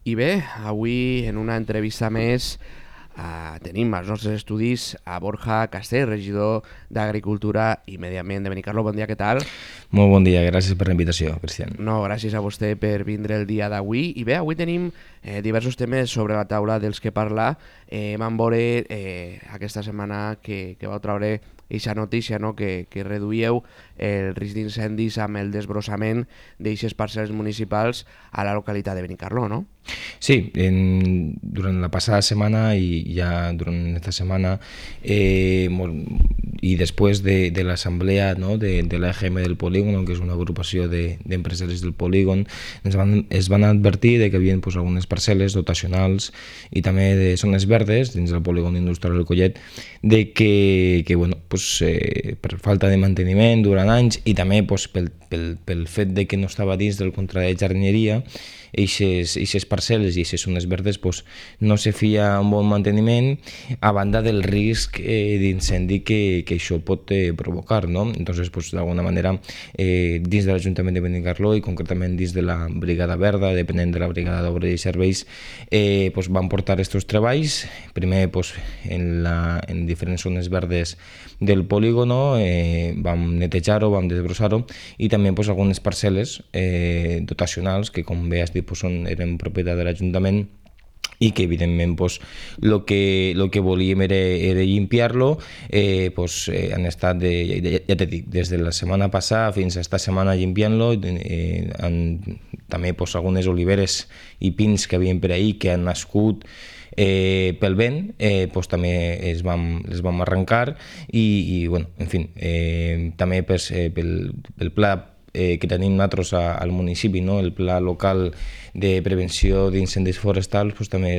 I bé, avui en una entrevista més tenim als nostres estudis a Borja Castell, regidor d'Agricultura i Medi Ambient de Benicarló. Bon dia, què tal? Molt bon dia, gràcies per la invitació, Cristian. No, gràcies a vostè per vindre el dia d'avui. I bé, avui tenim diversos temes sobre la taula dels que parlar. Vam veure aquesta setmana que vau treure aquesta notícia, no? que reduïeu el risc d'incendis amb el desbrossament d'eixes parcel·les municipals a la localitat de Benicarló, no? Sí, durant la passada setmana i ja durant aquesta setmana i després de l'assemblea, no, de l'AGM del polígon, que és una agrupació d'empresaris del polígon, es van advertir de que hi havia pues, algunes parcel·les dotacionals i també de zones verdes dins del polígon industrial del Collet de que bueno, pues, per falta de manteniment durant anys i també pues, pel fet de que no estava dins del contracte de jardineria, eixes parcel·les i eixes zones verdes pues, no se fia un bon manteniment a banda del risc d'incendi que això pot provocar, no? Entonces, pues, d'alguna manera, dins de l'Ajuntament de Benicarló i concretament dins de la Brigada Verda, depenent de la Brigada d'Obra i Serveis, pues, van portar aquests treballs, primer pues, en diferents zones verdes del polígono, vam netejar-ho, vam desbrossar-ho i també pues, algunes parcel·les dotacionals que, com bé has dit, pues, eren propietat de l'Ajuntament i que evidentment pues, lo que volíem era limpiar-lo, han estat, ja t'he dit, des de la setmana passada fins a esta setmana limpiant-lo, també pues, algunes oliveres i pins que havien per ahí que han nascut pel vent, pues, també les vam arrencar i bueno, en fi, també pel pla que tenim nosaltres al municipi, no? El pla local de prevenció d'incendis forestals, pues, també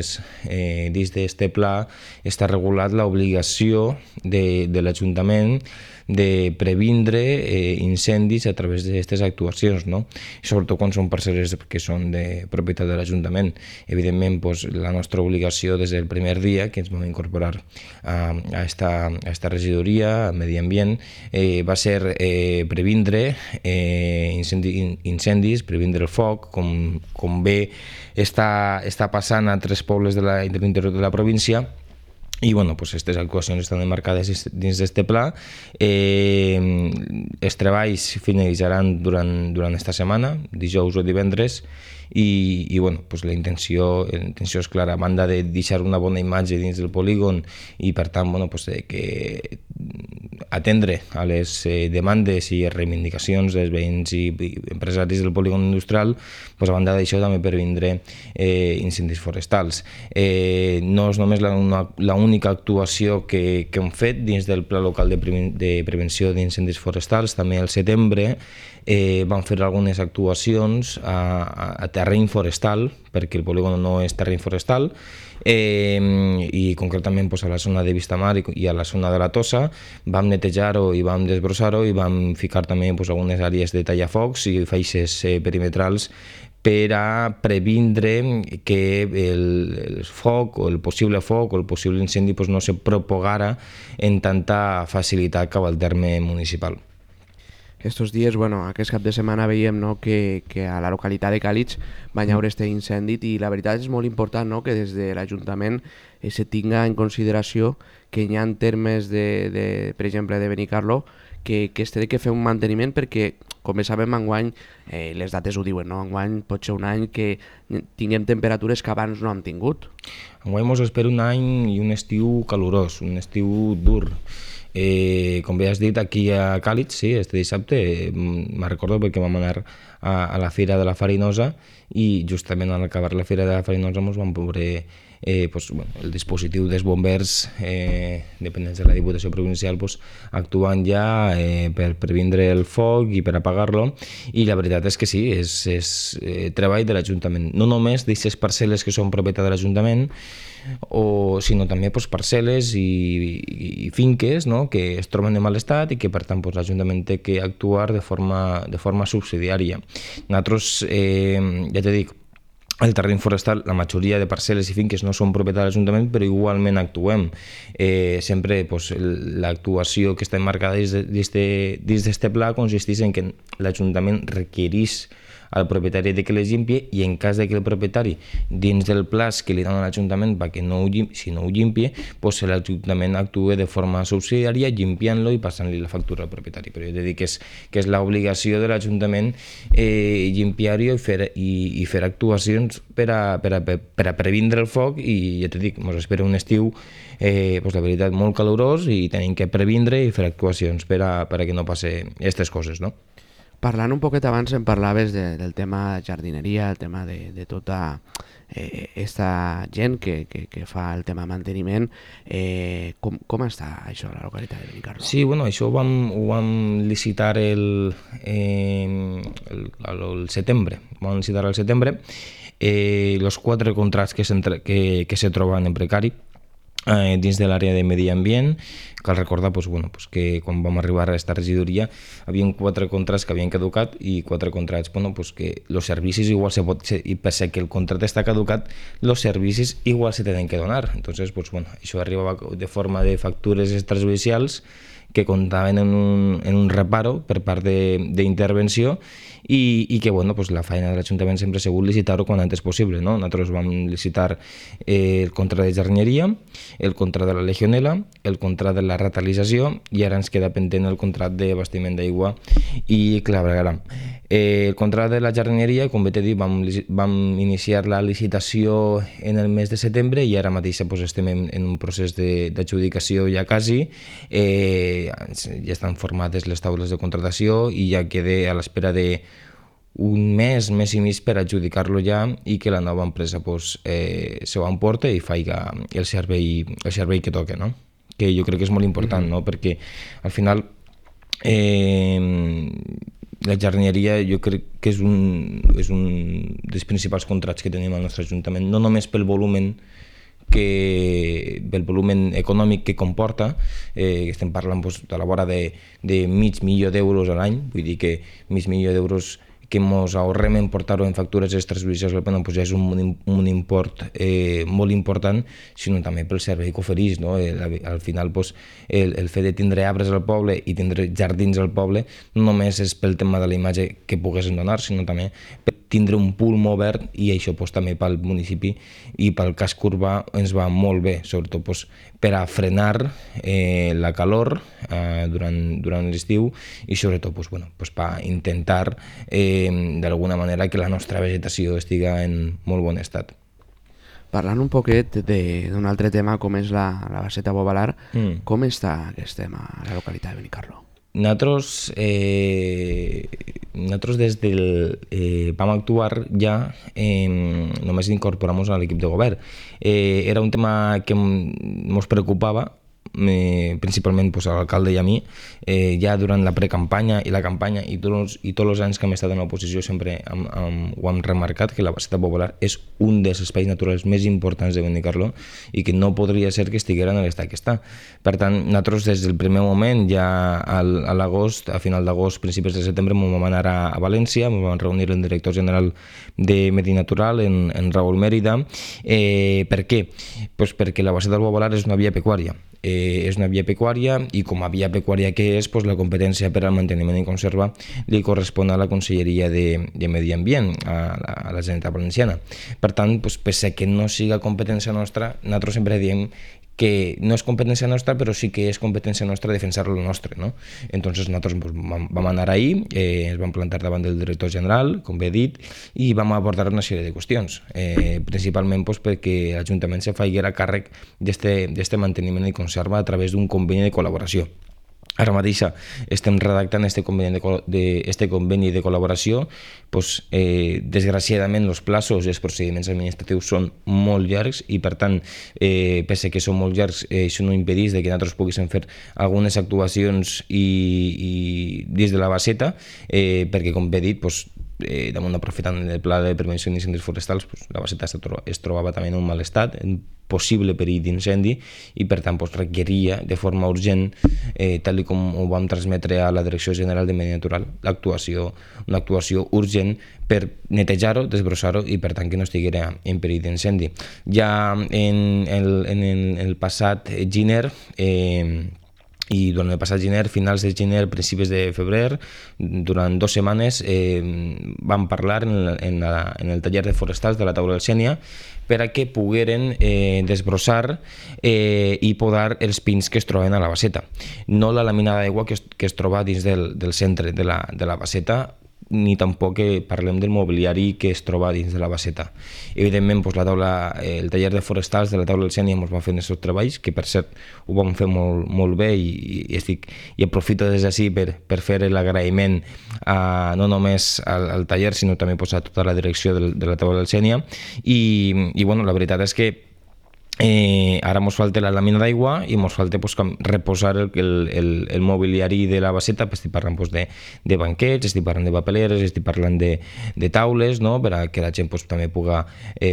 dins d'aquest pla està regulat l'obligació de l'Ajuntament de previndre incendis a través d'aquestes actuacions, no? I sobretot quan són parcel·les que són de propietat de l'Ajuntament. Evidentment, pues, la nostra obligació des del primer dia que ens vam incorporar a esta regidoria, a Medi Ambient, va ser previndre incendis, previndre el foc, com bé està passant a 3 pobles de l'interior de la província. I bueno, pues, aquestes actuacions estan emmarcades dins d'aquest pla. Els treballs finalitzaran durant esta setmana, dijous o divendres, i bueno, pues, la intenció és clara, a banda de deixar una bona imatge dins del polígon i per tant bueno, pues, que atendre a les demandes i reivindicacions dels veïns i empresaris del polígon industrial, pues, a banda d'això també per vindre incendis forestals. No és només l'única actuació que hem fet dins del Pla Local de Prevenció d'Incendis Forestals. També al setembre vam fer algunes actuacions a terreny forestal, perquè el polígon no és terreny forestal, i concretament pues, a la zona de Vistamar i a la zona de la Tossa vam netejar-ho i vam desbrossar-ho i vam ficar també pues, algunes àrees de tallafocs i feixes perimetrals per a previndre que el foc o el possible incendi pues, no se propagara en tanta facilitat cap al terme municipal. Estos dies, bueno, aquest cap de setmana veiem, no, que a la localitat de Càlig va haver este incendi i la veritat és molt important, no, que des de l'Ajuntament se tinga en consideració que hi ha termes per exemple, de Benicarló que es té que fer un manteniment perquè, com bé sabem, enguany les dates ho diuen, no? Enguany pot ser un any que tinguem temperatures que abans no hem tingut. Enguany ens espera un any i un estiu calorós, un estiu dur. Com bé has dit, aquí a Càlig, sí, este dissabte, me'n recordo perquè vam anar a la Fira de la Farinosa i justament al acabar la Fira de la Farinosa ens vam veure el dispositiu dels bombers dependents de la Diputació Provincial actuant ja per previndre el foc i per apagar-lo, i la veritat és que sí, és treball de l'Ajuntament, no només d'aquestes parcel·les que són propietat de l'Ajuntament, sinó també parcel·les i finques, no?, que es troben en mal estat i que per tant l'Ajuntament té que actuar de forma subsidiària. Nosaltres, ja t'he dit, el terreny forestal, la majoria de parcel·les i finques no són propietat de l'Ajuntament, però igualment actuem. Sempre l'actuació que està emmarcada dins d'aquest pla consisteix en que l'Ajuntament requereix al propietari de que les llimpie, i en cas de que el propietari, dins del plaç que li dona l'Ajuntament perquè si no ho llimpie, pues l'Ajuntament actua de forma subsidiària llimpiant-lo i passant-li la factura al propietari. Però jo he de dir que és l'obligació de l'Ajuntament llimpiar-ho i fer actuacions per a previndre el foc, i ja t'he dit, ens espera un estiu la veritat molt calorós i tenim que previndre i fer actuacions per a que no passi aquestes coses, no? Parlant un poquet abans em parlaves del tema jardineria, el tema de tota esta gent que fa el tema manteniment. Com està això a la localitat de Benicarló? Sí, bueno, això ho vam licitar el setembre. Vam licitar al setembre els 4 contrats que se troben en precari dins de l'àrea de medi ambient. Cal recordar que quan vam arribar a aquesta regidoria hi havia 4 contrats que havien caducat i 4 contrats que els servicis igual i per ser que el contracte està caducat, els servicis igual se tenen que donar. Entonces, això arribava de forma de factures extrajudicials que comptaven en un reparo per part d'intervenció i que la feina de l'Ajuntament sempre ha sigut licitar-ho quan antes possible, no? Nosaltres vam licitar el contracte de jardineria, el contracte de la legionela, el contracte de la ratalització, i ara ens queda pendent el contracte d'abastiment d'aigua i clavegueram. El contracte de la jardineria, com bé t'he dit, vam iniciar la licitació en el mes de setembre i ara mateix estem en un procés d'adjudicació ja quasi. Ja estan formades les taules de contractació i ja queda a l'espera d'un mes i mig per adjudicar-lo ja i que la nova empresa se ho emporta i faci el servei que toca, no? Que jo crec que és molt important, no? Perquè al final la jardineria jo crec que és un dels principals contrats que tenim al nostre Ajuntament, no només pel volumen econòmic que comporta. Estem parlant de la vora de $500.000 a l'any, vull dir que $500.000 que ens ahorrem en portar-ho en factures extrajudicials ja és un import molt important, sinó també pel servei que ofereix, no? Al final el fet de tindre arbres al poble i tindre jardins al poble no només és pel tema de la imatge que poguessin donar, sinó també per tindre un pulmó verd, i això també pel municipi i pel casc urbà ens va molt bé, sobretot per a frenar la calor durant l'estiu i sobretot per intentar d'alguna manera que la nostra vegetació estiga en molt bon estat. Parlant un poquet d'un altre tema com és la Baseta Bobalar, com està aquest tema a la localitat de Benicarló? Nosaltres vam actuar ja només d'incorporar-nos a l'equip de govern. Era un tema que ens preocupava, principalment a l'alcalde i a mi, ja durant la precampanya i la campanya i tots els anys que hem estat en l'oposició sempre ho hem remarcat, que la Baseta Bobalar és un dels espais naturals més importants de Benicarló i que no podria ser que estiguera en l'estat que està. Per tant, nosaltres des del primer moment, ja a l'agost, a final d'agost, principis de setembre, ens vam anar a València, ens vam reunir el director general de Medi Natural, en Raúl Mérida. Per què? Perquè la Baseta Bobalar és una via pecuària. És una via pecuària i com a via pecuària que és, la competència per al manteniment i conserva li correspon a la Conselleria de Medi Ambient, a la Generalitat Valenciana. Per tant, pese que no siga competència nostra, nosaltres sempre diem que no és competència nostra, però sí que és competència nostra defensar lo nostre, no? Entonces nosaltres vam anar ahí, ens vam plantar davant del director general, com bé he dit, i vam abordar una sèrie de qüestions, principalment perquè l'Ajuntament se faiguera càrrec d'este manteniment i conserva a través d'un conveni de col·laboració. Ara mateix estem redactant este conveni de col·laboració. Desgraciadament els plaços i els procediments administratius són molt llargs i per tant, pese que són molt llargs, això no impedeix que nosaltres poguéssim fer algunes actuacions i dins de la baseta, perquè com bé he dit, damunt aprofitant el pla de prevenció d'incendis forestals, la baseta es trobava també en un mal estat, en possible perill d'incendi, i per tant requeria de forma urgent, tal com ho vam transmetre a la Direcció General de Medi Natural, una actuació urgent per netejar-ho, desbrossar-ho i per tant que no estiguera en perill d'incendi. Ja en el passat gener i durant el passat gener, finals de gener, principis de febrer, durant 2 setmanes vam parlar en el taller de forestals de la taula del Sénia per a que pogueren desbrossar i podar els pins que es troben a la baseta. No la làmina d'aigua que es troba dins del centre de la baseta, ni tampoc parlem del mobiliari que es troba dins de la baseta. Evidentment, el taller de forestals de la taula del Sénia ens va fer aquests treballs, que per cert ho vam fer molt, molt bé i aprofito des d'ací per fer l'agraïment no només al taller, sinó també a tota la direcció de la taula del Sénia. I bueno, la veritat és que ara ens falta la làmina d'aigua i ens falta reposar el mobiliari de la baseta. Estic parlant de banquets, estic parlant de papeleres, estic parlant de taules, no? Per a que la gent també pugui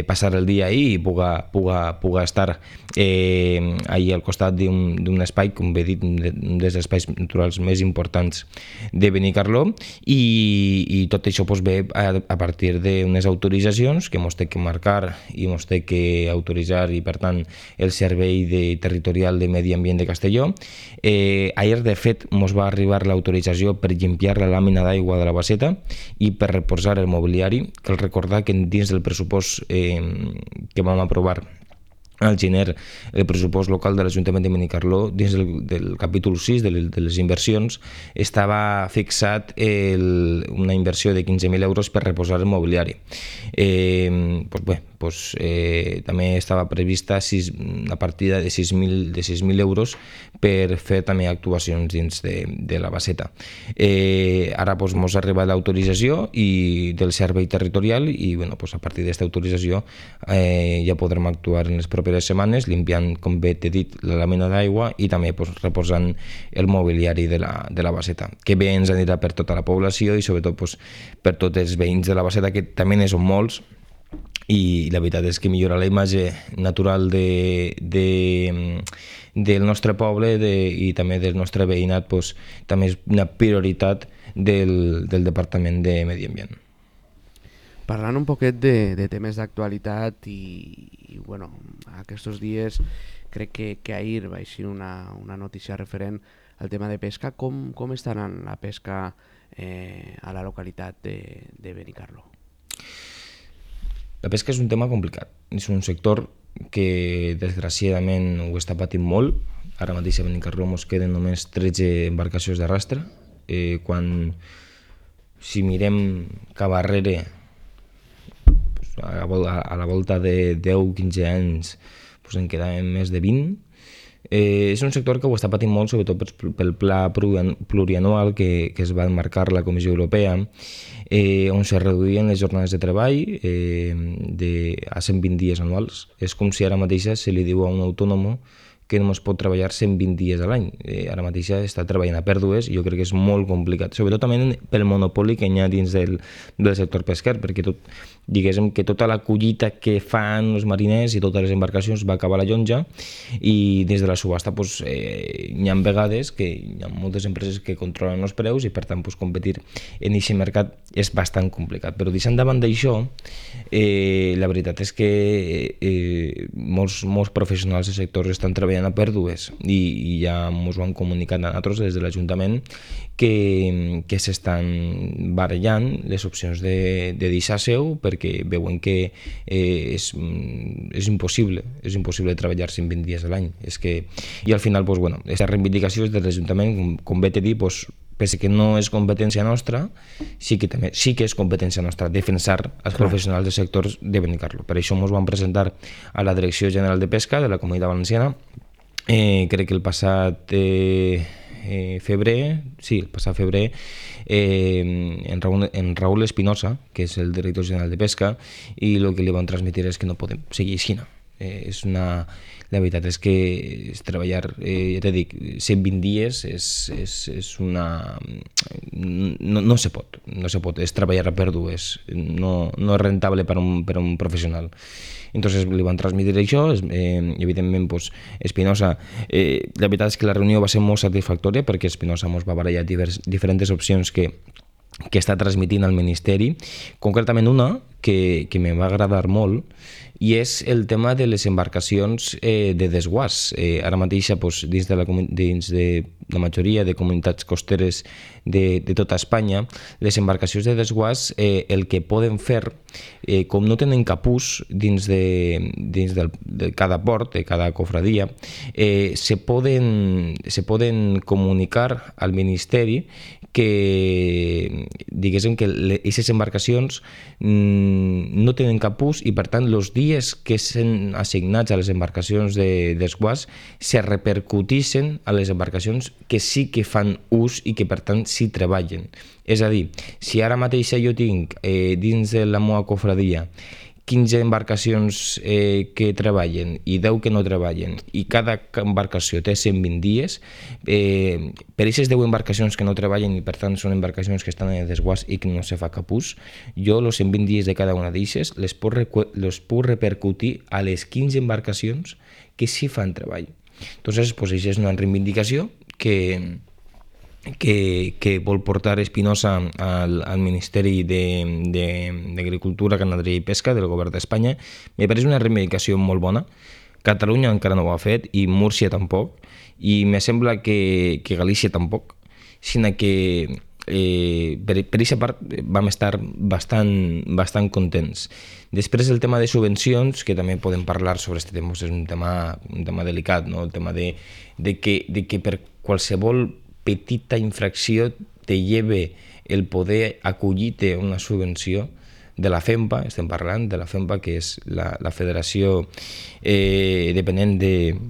passar el dia ahí i pugui estar ahí al costat d'un espai, com he dit, un dels espais naturals més importants de Benicarló, i tot això ve a partir d'unes autoritzacions que ens té que marcar i ens té que autoritzar, i per tant el Servei Territorial de Medi Ambient de Castelló. Ahir, de fet, ens va arribar l'autorització per limpiar la làmina d'aigua de la baseta i per reposar el mobiliari. Cal recordar que dins del pressupost que vam aprovar al gener, el pressupost local de l'Ajuntament de Benicarló, dins del capítol 6 de les inversions, estava fixat una inversió de 15.000 euros per reposar el mobiliari. També estava prevista una partida de 6.000 euros per fer també actuacions dins de la baseta. Ara ens ha arribat l'autorització del servei territorial i a partir d'aquesta autorització ja podrem actuar en les properes setmanes, limpiant, com bé t'he dit, la làmina d'aigua i també reposant el mobiliari de la baseta, que bé ens anirà per tota la població i sobretot per tots els veïns de la baseta, que també ne són molts, i la veritat és que millorar la imatge natural del nostre poble i també del nostre veïnat també és una prioritat del Departament de Medi Ambient. Parlant un poquet de temes d'actualitat i bueno, aquests dies crec que ahir va eixir una notícia referent al tema de pesca. Com està anant la pesca a la localitat de Benicarló? La pesca és un tema complicat, és un sector que desgraciadament ho està patint molt. Ara mateix a Benicarló ens queden només 13 embarcacions d'arrastre, quan si mirem cap arrere a la volta de 10-15 anys en quedaven més de 20. És un sector que ho està patint molt, sobretot pel pla plurianual que es va marcar la Comissió Europea, on se reduïen les jornades de treball a 120 dies anuals. És com si ara mateix se li diu a un autònom que només pot treballar 120 dies a l'any. Ara mateix està treballant a pèrdues i jo crec que és molt complicat, sobretot també pel monopoli que hi ha dins del sector pesquer, perquè diguéssim que tota la collita que fan els mariners i totes les embarcacions va acabar a la llonja, i des de la subhasta hi ha vegades que hi ha moltes empreses que controlen els preus i per tant competir en aquest mercat és bastant complicat. Però deixant davant d'això, la veritat és que molts professionals del sector estan treballant a pèrdues i ja ens ho han comunicat a nosaltres des de l'Ajuntament que s'estan barallant les opcions de deixar seu, perquè veuen que és impossible treballar 120 dies a l'any. I al final, aquesta reivindicació és de l'Ajuntament, com bé t'he dit, pese que no és competència nostra, sí que és competència nostra defensar els professionals del sector de Benicarló. Per això ens vam presentar a la Direcció General de Pesca de la Comunitat Valenciana, crec que el passat febrer, en Raúl Espinosa, que és el director general de Pesca, i el que li van transmetre és que no podem seguir així. La veritat és que treballar, ja t'he dit, 120 dies no se pot, és treballar a pèrdues, no és rentable per un professional. Entonces li van transmetre això, evidentment Espinosa, la veritat és que la reunió va ser molt satisfactòria perquè Espinosa ens va barallar diferents opcions que està transmitint al Ministeri, concretament una que me va agradar molt, i és el tema de les embarcacions de desguàs. Ara mateix, dins de la majoria de comunitats costeres de tota Espanya, les embarcacions de desguàs el que poden fer, com no tenen capús dins de cada port, de cada cofradia, se poden comunicar al Ministeri que, diguéssim, que aquestes embarcacions no tenen capús i, per tant, els dies que s'han assignats a les embarcacions de desguàs se repercutixen a les embarcacions que sí que fan ús i que, per tant, sí treballen. És a dir, si ara mateix jo tinc dins de la meva cofradia 15 embarcacions que treballen i 10 que no treballen, i cada embarcació té 120 dies, per aquestes 10 embarcacions que no treballen i per tant són embarcacions que estan en desguàs i que no se fa cap ús, jo els 120 dies de cada una d'elles les puc repercutir a les 15 embarcacions que sí fan treball. Entonces, pues, això és una reivindicació que vol portar Espinosa al Ministeri d'Agricultura, Ramaderia i Pesca del govern d'Espanya. Me pareix una reivindicació molt bona. Catalunya encara no ho ha fet i Múrcia tampoc, i me sembla que Galícia tampoc, sinó que per aquesta part vam estar bastant contents. Després el tema de subvencions, que també podem parlar sobre aquest tema, és un tema delicat, no? El tema de que per qualsevol petita infracció te lleve el poder acollir-te una subvenció de la FEMPA. Estem parlant de la FEMPA, que és la federació dependent de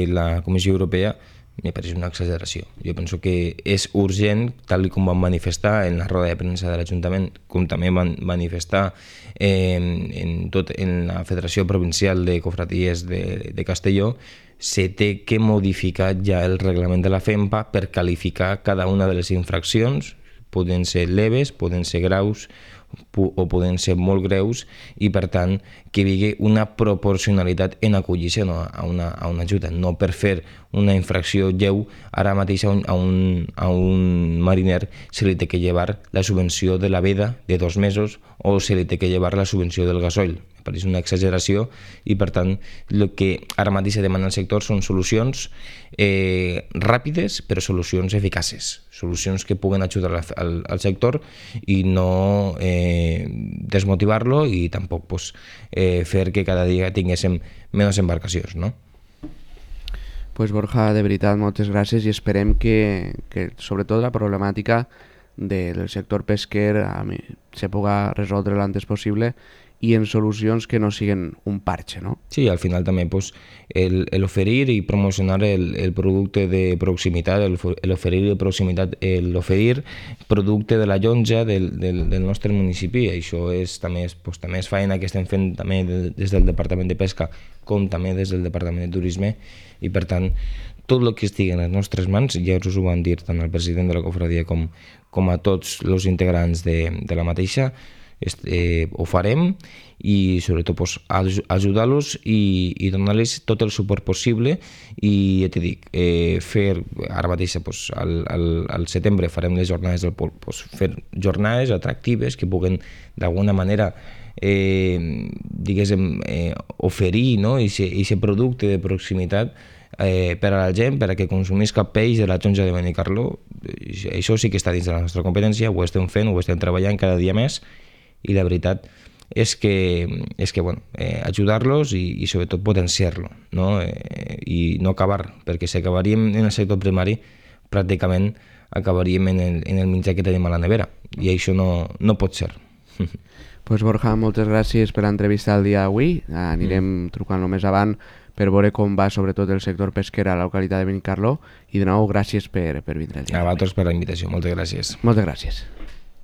la Comissió Europea. Me pareix una exageració. Jo penso que és urgent, tal com van manifestar en la roda de premsa de l'Ajuntament, com també van manifestar en la Federació Provincial de Cofradies de Castelló, se té que modificar ja el reglament de la FEMPA per qualificar cada una de les infraccions. Poden ser leves, poden ser graus o poden ser molt greus, i per tant que hi hagi una proporcionalitat en acollir-se a una ajuda, no per fer una infracció lleu. Ara mateix a un mariner se li té que llevar la subvenció de la veda de 2 mesos o se li té que llevar la subvenció del gasoil. Me pareix una exageració, i per tant el que ara mateix se demana al sector són solucions ràpides però solucions eficaces, solucions que puguen ajudar al sector i no desmotivar-lo, i tampoc fer que cada dia tinguéssim menys embarcacions, no? Pues Borja, de veritat, moltes gràcies, i esperem que sobretot la problemàtica del sector pesquer se pugui resoldre l'antes possible i en solucions que no siguin un parche, no? Sí, al final també el oferir i promocionar el producte de proximitat, el oferir producte de la llonja del nostre municipi. Això també és feina que estem fent també des del Departament de Pesca com també des del Departament de Turisme, i per tant tot el que estigui en les nostres mans, ja us ho van dir tant el president de la cofradia com a tots els integrants de la mateixa, ho farem, i sobretot ajudar-los i donar-los tot el suport possible. I ja t'he dit, ara mateix al setembre farem les jornades del pol, fer jornades atractives que puguen d'alguna manera diguéssim oferir aquest producte de proximitat per a la gent, per a que consumisca peix de la Jonja de Benicarló. Això sí que està dins de la nostra competència, ho estem fent, ho estem treballant cada dia més, i la veritat és que ajudar-los i sobretot potenciar-lo, no? I no acabar, perquè si acabaríem en el sector primari pràcticament acabaríem en el menjar que tenim a la nevera, i això no pot ser. Pues Borja, moltes gràcies per l'entrevista del dia d'avui. Anirem trucant-lo més avant per veure com va sobretot el sector pesquer a la localitat de Benicarló, i de nou gràcies per vindre el dia. A vosaltres per la invitació, moltes gràcies. Moltes gràcies.